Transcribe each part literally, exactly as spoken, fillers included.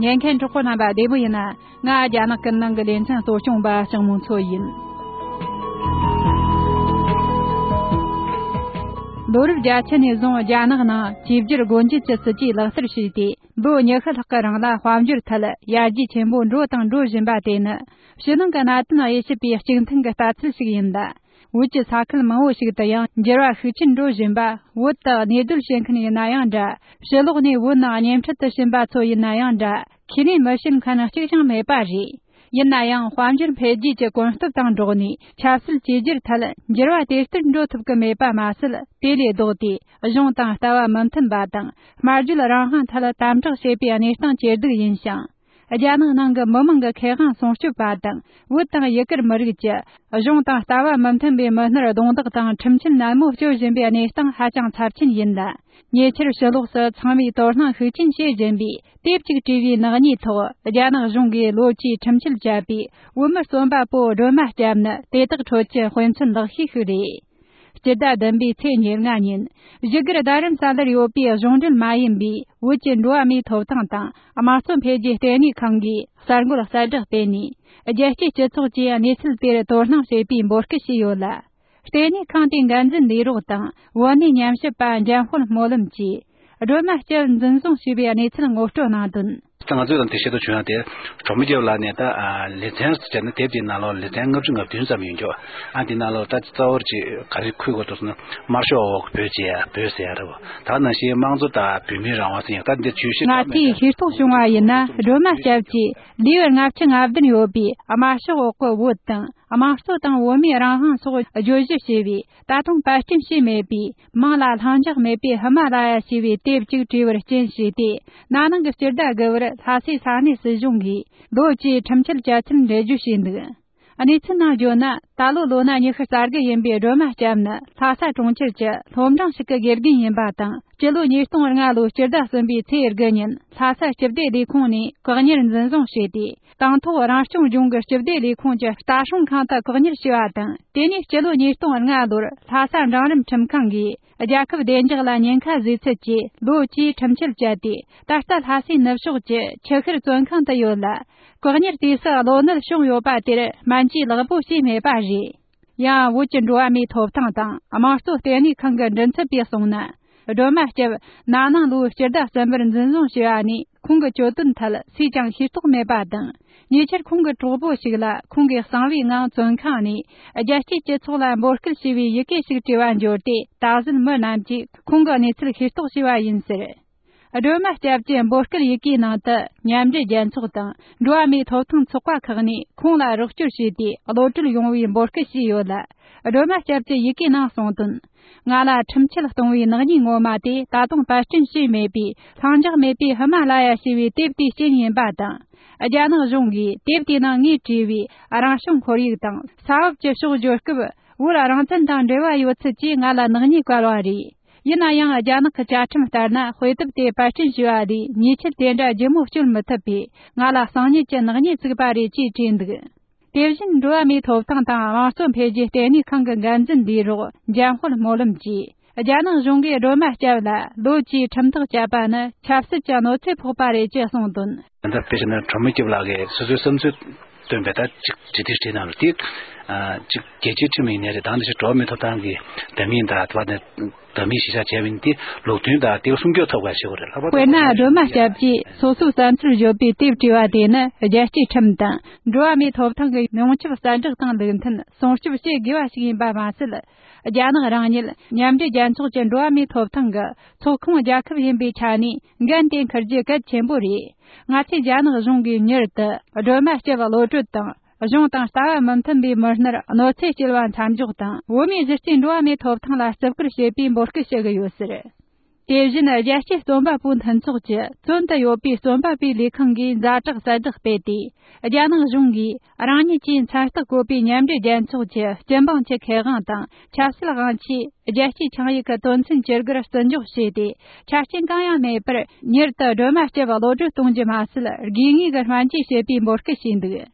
ལེན་མཁན་གྲོགས་པོ་རྣམ་པ་བདེ་མོ་ཡིན་ན། ང་རྒྱ་ནག་ཀུན་གླེང་གི་ལེ་ཚན་གཙོ་སྐྱོང་པ་ལྕགས་མོ་མཚོ་ཡིན། ལོ་རབས་བརྒྱད་ཅུ་ནས་བཟུང་རྒྱ་ནག་ནང་བཅོས་བསྒྱུར་སྒོ་འབྱེད་ཀྱི་སྲིད་ཇུས་ལག་བསྟར་བྱས་ཏེ། ལོ་ཉི་ཤུ་ལྷག་གི་རིང་ལ་དཔལ་འབྱོར་ཐད་ཡར་རྒྱས་ཆེན་པོ་འགྲོ་དང་འགྲོ་བཞིན་པ་དེ་ནི། ཕྱི་ནང་གི་གནད་དོན་དབྱེ་ཞིབ་པའི་གཅིག་མཐུན་གྱི་ལྟ་ཚུལ་ཞིག་ཡིན་ལ། བོད་ཀྱི་ས་ཁུལ་མང་བོ་ཞིག་ཏུ་ཡང་འགྱུར་བ་ཤུགས་ཆེན་འགྲོ་བཞིན་པ། བོད་དུ་གནས་སྡོད་བྱེད་མཁན་ཡིན་ན་ཡང་འདྲ། ཕྱི་ལོགས་ནས་བོད་ནང་གཉེན་འཕྲད་དུ་ཕྱིན་པ་ཚོ་ཡིན་ན་ཡང་འདྲ། ཁས་ལེན་མི་བྱེད་མཁན་གཅིག་ཀྱང་མེད་པ་རེད། ཡིན་ན་ཡང་དཔལ་འབྱོར་འཕེལ་རྒྱས་ཀྱི་གོམ་སྟབས་དང་འགྲོགས་ནས་ཆབ་སྲིད་བཅོས་བསྒྱུར་ཐད་འགྱུར་བ་དེ་ལྟར་འགྲོ་ཐུབ་ཀྱི་མེད་པ་མ་ཟད། དེ་ལས་ལྡོག་སྟེ་གཞུང་དང་ལྟ་བ་མི་མཐུན་པ་དང་། སྨྲ་བརྗོད་རང་དབང་ཐད་དམ་དྲག་བྱེད་པའི་གནས་སྟངས་ཇེ་སྡུག་ཡིན་ཞིང་། རྒྱ་ནག་ནང་གི་མི་མང་གི་ཁེ་དབང་སྲུང་སྐྱོབ་པ་དང་། བོད་དང་ཡུ་གུར་མི་རིགས་ཀྱི་གཞུང་དང་ལྟ་བ་མི་མཐུན་པའི་མི་སྣར་རྡུང་རྡེག་དང་ཁྲིམས་ཆད་ནན་མོ་གཅོད་བཞིན་པའི་གནས་སྟངས་ཧ་ཅང་ཚབས་ཆེན་ཡིན་ལ། ཉེ་ཆར་ཕྱི་ལོགས་སུ་ཚང་མས་དོ་སྣང་ཤུགས་ཆེན་བྱེད་བཞིན་པའི་དེབ་ཅིག་བྲིས་པའི་ནག་ཉེས་ཐོག་རྒྱ་ནག་གཞུང་གིས་ལོ་བཅུའི་ཁྲིམས་ཆད་བཅད་པའི་བོད་མི་རྩོམ་པ་པོ་སྒྲོལ་མ་སྐྱབས་ནི་དེ་དག་ཁྲོད་ཀྱི་དཔེ་མཚོན་ལེགས་ཤོས་ཤིག་རེད། སྤྱི་ཟླ་བདུན་པའི་ཚེས་ཉེར་ལྔ་ཉིན། བཞུགས་སྒར་རྡ་རམ་ས་ལར་ཡོད་པའི་གཞུང་འབྲེལ་མ་ཡིན་པའི་བོད་ཀྱི་འགྲོ་བ་མིའི་ཐོབ་ཐང་དང་དམངས་གཙོ་འཕེལ་རྒྱས་ལྟེ་གནས་ཁང་གིས་གསར་འགོད་གསལ་བསྒྲགས་སྤེལ་ནས། རྒྱལ་སྤྱིའི་སྤྱི་ཚོགས་ཀྱིས་གནས་ཚུལ་དེར་དོ་སྣང་བྱེད་པའི་འབོད་སྐུལ་བྱས་ཡོད་ལ། ལྟེ་གནས་ཁང་དེའི་འགན་འཛིན་ལས་རོགས་དང་བོད་གནས་ཉམས་ཞིབ་པ་འཇམ་དཔལ་སྨོན་ལམ་གྱིས། སྒྲོལ་མ་སྐྱབས་འཛིན་བཟུང་བྱས་པའི་གནས་ཚུལ་ངོ་སྤྲོད་གནང་དོན། ད་ང་ཚོས་ལ་འདི་བཤད་དུ་བྱུང་ཡང་དེ། གྲོགས་མོ་སྐྱབས་ལགས་ནས་ད་ལེ་ཚན་ཟེར་བྱས་ན་དེབ་དེའི་ནང་ལོགས་ལེ་ཚན་ལྔ་བཅུ་ང་བདུན་ཙམ་ཡོད་འགྱོ། ཨ་དེ་ནང་ལོགས་ད་རྩ་བར་ཅིག་ག་རེ་འཁོད་དགོས་འདུག་ཟེར་ན། དམར་ཤོག་འོག་བོད་ཅེས་བོད་ཟེར་ཡ་རེད་བ། ད་ནང་བཞིན་དམངས་གཙོ་དང་བོད་མིའི་རང་དབང་ཟེར་ཡང་ད་འདི་བརྗོད་གཞི་ང་ཚོས་ཤེས་རྟོགས་བྱུང་བ་ཡིན་ན། སྒྲོལ་མ་སྐྱབས་ཀྱིས་ལེའུ་ལྔ་བཅུ་ང་བདུན་ཡོད་པའི་དམར་ཤོག་འོག་གི་བོད་དང་། དམངས་གཙོ་དང་བོད་མིའི་རང་དབང་སོགས་བརྗོད་གཞི་བྱས་པའི། ད་དུང་པར་སྐྲུན་བྱས་མེད་པའི་མིང་ལ་ལྷིང་འཇགས་མེད་པའི་ཧི་མ་ལ་ཡ་ཞེས་པའི་དེབ་ཅིག་བྲིས་པར་རྐྱེན་བྱས་ཏེ། ན་ནིང་གི་སྤྱི་ཟླ་དགུ་པར་ལྷ་སའི་ས་གནས་སྲིད་གཞུང་གིས་ལོ་བཅུའི་ཁྲིམས་ཆད་བཅད་ཚུལ་འགྲེལ་བརྗོད་བྱས་འདུག། གནས་ཚུལ་ནང་བརྗོད་ན། ད་ལོ་ལོ་ན་ཉི་ཤུ་རྩ་དགུ་ཡིན་པའི་སྒྲོལ་མ་སྐྱབས་ནི་ལྷ་ས་གྲོང་ཁྱེར་གྱི་སློབ་འབྲིང་ཞིག་གི་དགེ་རྒན་ཡིན་པ་དང་། སྤྱི་ལོ་ཉིས་སྟོང་ལྔ་ལོའི་སྤྱི་ཟླ་གསུམ་པའི་ཚེས་དགུ་ཉིན་ལྷ་ས་སྤྱི་བདེ་ལས་ཁུངས་ནས་བཀག་ཉར་འཛིན་བཟུང་བྱས་ཏེ། དང་ཐོག་རང་སྐྱོང་ལྗོངས་ཀྱི་སྤྱི་བདེ་ལས་ཁུངས་ཀྱི་ལྟ་སྲུང་ཁང་དུ་བཀག་ཉར་བྱས་པ་དང་། དེ་ནས་སྤྱི་ལོ་ཉིས་སྟོང་ལྔ་ལོར་ལྷ་ས་འབྲིང་རིམ་ཁྲིམས་ཁང་གིས་རྒྱལ་ཁབ་བདེ་འཇགས་ལ་ཉེན་ཁ་བཟོས་ཚུལ་གྱིས་ལོ་བཅུའི་ཁྲིམས་ཆད་བཅད་དེ། ད་ལྟ་ལྷ་སའི་ནུབ་ཕྱོགས་ཀྱི་ཆུ་ཤུར་བཙོན་ཁང་དུ་ཡོད་ལ། བཀག་ཉར་དུས་སུ་གློ་ནད་བྱུང་ཡོད་པ་དེར་སྨན་བཅོས་ལེགས་པོ་བྱས་མེད་པ་རེད། ཡང་བོད་ཀྱི་འགྲོ་བ་མིའི་ཐོབ་ཐང་དང་དམངས་གཙོ་ལྟེ་གནས་ཁང་གི་མགྲིན་ཚབ་པས་གསུངས་ན། སྒྲོལ་མ་སྐྱབས་ན་ནིང་ལོའི་སྤྱི་ཟླ་གསུམ་པར་འཛིན་བཟུང་བྱས་པ་ནས། ཁོང་གི་གྱོད་དོན་ཐད་སུས་ཀྱང་ཤེས་རྟོགས་མེད་པ་དང་། ཉེ་ཆར་ཁོང་གི་གྲོགས་པོ་ཞིག་ལ་ཁོང་གིས་གསང་བའི་ངང་བཙོན་ཁང་ནས་རྒྱལ་སྤྱིའི་སྤྱི་ཚོགས་ལ་འབོད་སྐུལ་བྱས་པའི་ཡི་གེ་ཞིག་བྲིས་པ་འབྱོར་ཏེ། ད་གཟོད་མི་རྣམས་ཀྱིས་ཁོང་གི་གནས་ཚུལ་ཤེས་རྟོགས་བྱས་པ་ཡིན་ཟེར། སྒྲོལ་མ་སྐྱབས་ཀྱི་འབོད་སྐུལ་ཡི་གེའི་ནང་དུ། མཉམ་འབྲེལ་རྒྱལ་ཚོགས་དང་འགྲོ་བ་མིའི་ཐོབ་ཐང་ཚོགས་པ་ཁག་ནས་ཁོང་ལ་རོགས་སྐྱོར་བྱས་ཏེ། གློད་གྲོལ་ཡོང་བའི་འབོད་སྐུལ་བྱས་ཡོད་ལ། སྒྲོལ་མ་སྐྱབས་ཀྱི་ཡི་གེའི་ནང་གསུངས་དོན། ང་ལ་ཁྲིམས་ཆད་གཏོང་བའི་ནག་ཉེས་ངོ་མ་དེ་ད་དུང་པར་སྐྲུན་བྱས་མེད་པའི་ལྷིང་འཇགས་མེད་པའི་ཧི་མ་ལ་ཡ་ཞེས་པའི་དེབ་དེའི་རྐྱེན་ཡིན་པ་དང་། རྒྱ་ནག་གཞུང་གིས་དེབ་དེའི་ནང་ངས་བྲིས་པའི་རང་བྱུང་ཁོར་ཡུག་དང་ས་བབ་ཀྱི་ཕྱོགས་བརྗོད་སྐབས། བོད་རང་བཙན་དང་འབྲེལ་བ་ཡོད་ཚུལ་གྱིས་ང་ལ་ནག་ཉེས་བཀལ་བ་རེད། ཡིན་ན་ཡང་། རྒྱ་ནག་གི་བཅའ་ཁྲིམས་ལྟར་ན། དཔེ་དེབ་དེ་པར་སྐྲུན་བྱས་པ་ལས་ཉེས་ཆད་དེ་འདྲ་ལྗིད་མོ་གཅོད་མི་ཐུབ་པས། ང་ལ་གསང་ཉུལ་གྱི་ནག་ཉེས་བཙུགས་པ་རེད་ཅེས་བྲིས་འདུག། དེ་བཞིན། འགྲོ་བ་མིའི་ཐོབ་ཐང་དང་དམངས་གཙོ་འཕེལ་རྒྱས་ལྟེ་གནས་ཁང་གི་འགན་འཛིན་ལས་རོགས་འཇམ་དཔལ་སྨོན་ལམ་གྱིས། རྒྱ་ནག་གཞུང་གིས་སྒྲོལ་མ་སྐྱབས་ལ་ལོ་བཅུའི་ཁྲིམས་ཐག་བཅད་པ་ནི་ཆབ་སྲིད་ཀྱི་གནོད་འཚེ་ཕོག་པ་རེད་ཅེས་གསུངས་དོན། ད་ལྟ་དཔེ་བྱས་ན་གྲོགས་མོ་སྐྱབས་ལགས་ཀྱིས་སོ་སོའི་བསམ་ཚུལ་བཏོན་པའི་ད་ཅིག་ཅི་ཐིག་བྲིས་གནང་རུ་དེ། ཨ་ཅིག་རྒྱལ་སྤྱིའི་ཁྲིམས་ཡིན་ནའི་རེད། དང་དེ་བཞིན་འགྲོ་བ་མིའི་ཐོབ་ཐང་གི་འདྲ་མིན་དང་དེ་བ་ནས་འདྲ་མིན་གཞི་བཞག་བྱས་པ་ཡིན་ཏེ། ལུགས་མཐུན་དང་དེ་སྲུང་སྐྱོབ་ཐོབ་པ་ཞིག་རེད་ལབ་པ། དཔེར་ན། སྒྲོལ་མ་སྐྱབས་ཀྱིས་སོ་སོའི་བསམ་ཚུལ་བརྗོད་པའི་དེབ་བྲིས་པ་དེ་ནི། རྒྱལ་སྤྱིའི་ཁྲིམས་དང་འགྲོ་བ་མིའི་ཐོབ་ཐང་གི་ཡོངས་ཁྱབ་གསལ་བསྒྲགས་དང་ལུགས་མཐུན་སྲུང་སྐྱོབ་བྱེད་དགོས་པ་ཞིག་ཡིན་པ་མ་ཟད། རྒྱ་ནག་རང་ཉིད་མཉམ་འབྲེལ་རྒྱལ་ཚོགས་ཀྱི་འགྲོ་བ་མིའི་ཐོབ་ཐང་གི་ཚོགས་ཁོངས་རྒྱལ་ཁབ་ཡིན་པའི་ཆ་ནས་འགན་དེ་འཁུར་རྒྱུ་གལ་ཆེན་པོ་རེད། ང་ཚོས་རྒྱ་ནག་གཞུང་གིས་མྱུར་དུ་སྒྲོལ་མ་སྐྱབས་གློད་གྲོལ་དང་། གཞུང་དང་ལྟ་བ་མི་མཐུན་པའི་མི་སྣར་གནོད་འཚེ་སྐྱེལ་བ་མཚམས་འཇོག་དང་། བོད་མིའི་གཞི་རྩའི་འགྲོ་བ་མིའི་ཐོབ་ཐང་ལ་བརྩི་བཀུར་བྱེད་པའི་འབོད་སྐུལ་ཞུ་གི་ཡོད་ཟེར། དེ་བཞིན། རྒྱལ་སྤྱིའི་རྩོམ་པ་པོའི་མཐུན་ཚོགས་ཀྱི་བཙོན་དུ་ཡོད་པའི་རྩོམ་པ་པོའི་ལས་ཁང་གིས་ཛ་དྲག་གསལ་བསྒྲགས་སྤེལ་ཏེ། རྒྱ་ནག་གཞུང་གིས་རང་ཉིད་ཀྱིས་མཚན་རྟགས་བཀོད་པའི་མཉམ་འབྲེལ་རྒྱལ་ཚོགས་ཀྱི་སྤྱི་འབངས་ཀྱི་ཁེ་དབང་དང་ཆབ་སྲིད་དབང་ཆའི་རྒྱལ་སྤྱིའི་ཆིངས་ཡིག་གི་དོན་ཚན་བཅུ་དགུར་བརྩི་འཇོག་བྱས་ཏེ། ཆ་རྐྱེན་གང་ཡང་མེད་པར་མྱུར་དུ་སྒྲོལ་མ་སྐྱབས་གློད་གྲོལ་གཏོང་རྒྱུ་མ་ཟད། དགོས་ངེས་ཀྱི་སྨན་བཅོས་བྱེད་པའི་འབོད་སྐུལ་བྱས་འདུག།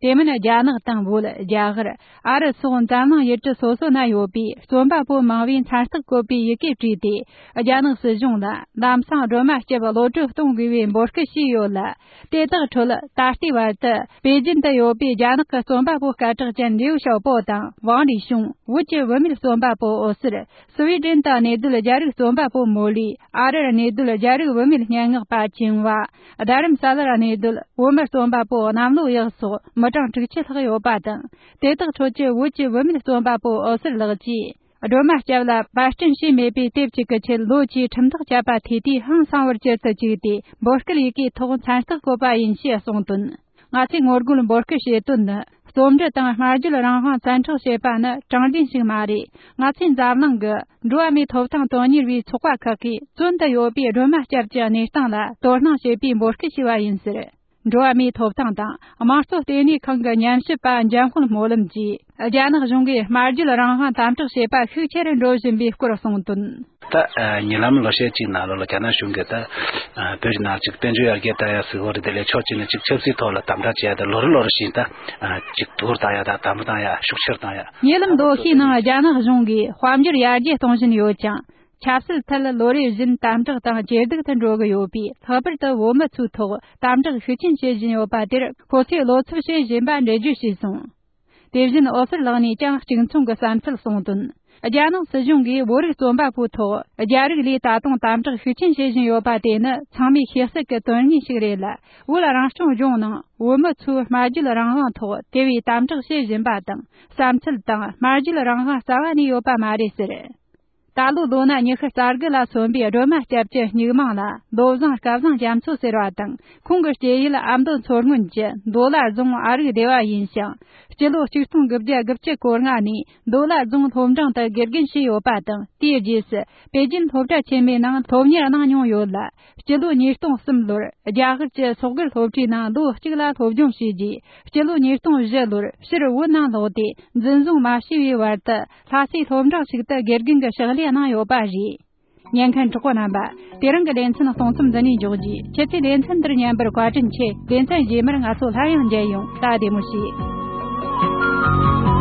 དེ་མིན་རྒྱ་ནག་དང་བོད། རྒྱ་གར། ཨ་རི་སོགས་འཛམ་གླིང་ཡུལ་གྲུ་སོ་སོ་ན་ཡོད་པའི་རྩོམ་པ་པོ་མང་བོས་མཚན་རྟགས་བཀོད་པའི་ཡི་གེ་བྲིས་ཏེ། རྒྱ་ནག་སྲིད་གཞུང་ལ་ལམ་སང་སྒྲོལ་མ་སྐྱབས་གློད་གྲོལ་གཏོང་དགོས་པའི་འབོད་སྐུལ་བྱས་ཡོད་ལ། དེ་དག་ཁྲོད་ད་ལྟའི་བར་དུ་པེ་ཅིན་དུ་ཡོད་པའི་རྒྱ་ནག་གི་རྩོམ་པ་པོ་སྐད་གྲགས་ཅན་ལིའུ་ཞའོ་པོ་དང་ཝང་ལི་ཤུང་། བོད་ཀྱི་བུད་མེད་རྩོམ་པ་པོ་འོད་ཟེར། སུ་ཝི་ཌེན་དུ་གནས་སྡོད་རྒྱ་རིགས་རྩོམ་པ་པོ་མོ་ལི། ཨ་རིར་གནས་སྡོད་རྒྱ་རིགས་བུད་མེད་སྙན་ངག་པ་ཆིང་ཝ། རྡ་རམ་ས་ལར་གནས་སྡོད་བོད་མི་རྩོམ་པ་པོ་གནམ་ལོ་གཡག་སོགས་མི་གྲངས་དྲུག་ཅུ་ལྷག་ཡོད་པ་དང་། དེ་དག་ཁྲོད་ཀྱི་བོད་ཀྱི་བུད་མེད་རྩོམ་པ་པོ་འོད་ཟེར་ལགས་ཀྱིས། སྒྲོལ་མ་སྐྱབས་ལ་པར་སྐྲུན་བྱས་མེད་པའི་དེབ་ཅིག་གི་ཆེད་ལོ་བཅུའི་ཁྲིམས་ཐག་བཅད་པ་དེ་དུས་ཧང་སང་བར་གྱུར་དུ་བཅུག་སྟེ། འབོད་སྐུལ་ཡི་གེའི་ཐོག་མཚན་རྟགས་བཀོད་པ་ཡིན་ཞེས་གསུངས་དོན། ང་ཚོས་ངོ་རྒོལ་འབོད་སྐུལ་བྱེད་དོན་ནི། རྩོམ་འབྲི་དང་སྨྲ་བརྗོད་རང་དབང་བཙན་འཕྲོག་བྱེད་པ་ནི་དྲང་བདེན་ཞིག་མ་རེད། ང་ཚོས་འཛམ་གླིང་གི་འགྲོ་བ་མིའི་ཐོབ་ཐང་དོན་གཉེར་བའི་ཚོགས་པ་ཁག་གིས་བཙོན་དུ་ཡོད་པའི་སྒྲོལ་མ་སྐྱབས་ཀྱི་གནས་སྟངས་ལ་དོ་སྣང་བྱེད་པའི་འབོད་སྐུལ་བྱས་པ་ཡིན་ཟེར། འགྲོ་བ་མིའི་ཐོབ་ཐང་དང་དམངས་གཙོ་ལྟེ་གནས་ཁང་གི་ཉམས་ཞིབ་པ་འཇམ་དཔལ་སྨོན་ལམ་གྱིས། རྒྱ་ནག་གཞུང་གིས་སྨྲ་བརྗོད་རང་དབང་དམ་དྲག་བྱེད་པ་ཤུགས་ཆེ་རུ་འགྲོ་བཞིན་པའི་སྐོར་གསུངས་དོན། ད་ཉེ་ལམ་ལོ་ཤས་ཅིག་ནང་ལོགས་ལ་རྒྱ་ནག་གཞུང་གིས་ད་བོད་ཀྱི་ནང་ཅིག་དཔལ་འབྱོར་ཡར་རྒྱས་བཏང་ཡ་ཟིག་བོ་རེད། དེ་ལས་ཕྱོགས་གཅིག་ནས་ཅིག་ཆབ་སྲིད་ཐོག་ལ་དམ་དྲག་བྱས་ཡ་ད་ལོ་རེ་ལོ་རེ་བཞིན་ད་ཅིག་དུར་བཏང་ཡ་ད་དམ་བཏང་ཡ་ཤུགས་ཆེར་བཏང་ཡ། ཉེ་ལམ་ལོ་ཤས་ནང་རྒྱ་ནག་གཞུང་གིས་དཔལ་འབྱོར་ཡར་རྒྱས་གཏོང་བཞིན་ཡོད་ཀྱང་། ཆབ་སྲིད་ཐད་ལོ་རེ་བཞིན་དམ་དྲག་དང་ཇེ་སྡུག་ཏུ་འགྲོ་གི་ཡོད་པས། ལྷག་པར་དུ་བོད་མི་ཚོའི་ཐོག་དམ་དྲག་ཤུགས་ཆེན་བྱེད་བཞིན་ཡོད་པ་དེར་ཁོ་ཚོས་བློ་འཚབ་བྱེད་བཞིན་པ་འགྲེལ་བརྗོད་བྱས་སོང་། དེ་བཞིན་འོད་ཟེར་ལགས་ནས་ཀྱང་གཅིག་མཚུངས་ཀྱི་བསམ་ཚུལ་གསུངས་དོན། རྒྱ་ནག་སྲིད་གཞུང་གིས་བོད་རིགས་རྩོམ་པ་པོའི་ཐོག་རྒྱ་རིགས་ལས་ད་དུང་དམ་དྲག་ཤུགས་ཆེན་བྱེད་བཞིན་ཡོད་པ་དེ་ནི་ཚང་མས་ཤེས་གསལ་གྱི་དོན་དངོས་ཤིག་རེད་ལ། བོད་རང་སྐྱོང་ལྗོངས་ནང་བོད་མི་ཚོའི་སྨྲ་བརྗོད་རང་དབང་ཐོག་དེ་བས་དམ་དྲག་བྱེད་བཞིན་པ་དང་། བསམ་ཚུལ་དང་སྨྲ་བརྗོད་རང་དབང་རྩ་བ་ནས་ཡོད་པ་མ་རེད་ཟེར། ད་ལོའི་ལོ་ན་ཉི་ཤུ་རྩ་དགུ་ལ་སོན་པའི་སྒྲོལ་མ་སྐྱབས་ཀྱི་སྨྱུག་མིང་ལ་མདོ་བཟང་སྐལ་བཟང་རྒྱ་མཚོ་ཟེར་བ་དང་། ཁོང་གི་སྐྱེས་ཡུལ་ཨ་མདོ་མཚོ་སྔོན་གྱི་མདོ་ལ་རྫོང་ཨ་རིག་སྡེ་བ་ཡིན་ཞིང་། སྤྱི་ལོ་ཆིག་སྟོང་དགུ་བརྒྱ་དགུ་བཅུ་གོ་ལྔ་ནས་མདོ་ལ་རྫོང་སློབ་འབྲིང་དུ་དགེ་རྒན་བྱས་ཡོད་པ་དང་། དེའི་རྗེས་སུ་པེ་ཅིན་སློབ་གྲྭ་ཆེན་མོའི་ནང་སློབ་གཉེར་གནང་མྱོང་ཡོད་ལ། སྤྱི་ལོ་ཉིས་སྟོང་གསུམ་ལོར་རྒྱ་གར་གྱི་སོག་སྒེར་སློབ་གྲྭའི་ནང་ལོ་གཅིག་ལ་སློབ་སྦྱོང་བྱས་རྗེས། སྤྱི་ལོ་ཉིས་སྟོང་བཞི་ལོར་ཕྱིར་བོད་ནང་ལོག་སྟེ། འཛིན་བཟུང་མ་བྱས་པའི་བར་དུ་ལྷ་སའི་སློབ་འབྲིང་ཞིག་ཏུ་དགེ་རྒན་གྱི་ཕྱག་ལས་གནང་ཡོད་པ་རེད། ཉན་མཁན་གྲོགས་པོ་རྣམ་པ། དེ་རིང་གི་ལེ་ཚན་གསུང་རྩོམ་འདི་ནས་འཇོག་རྒྱུ། ཁྱེད་ཚོས་ལེ་ཚན་འདིར་ཉན་པར་བཀའ་དྲིན་ཆེ། ལེ་ཚན་རྗེས་མར་ང་ཚོ་སླར་ཡང་མཇལ་ཡོང་། ད་བདེ་མོ་བྱོས།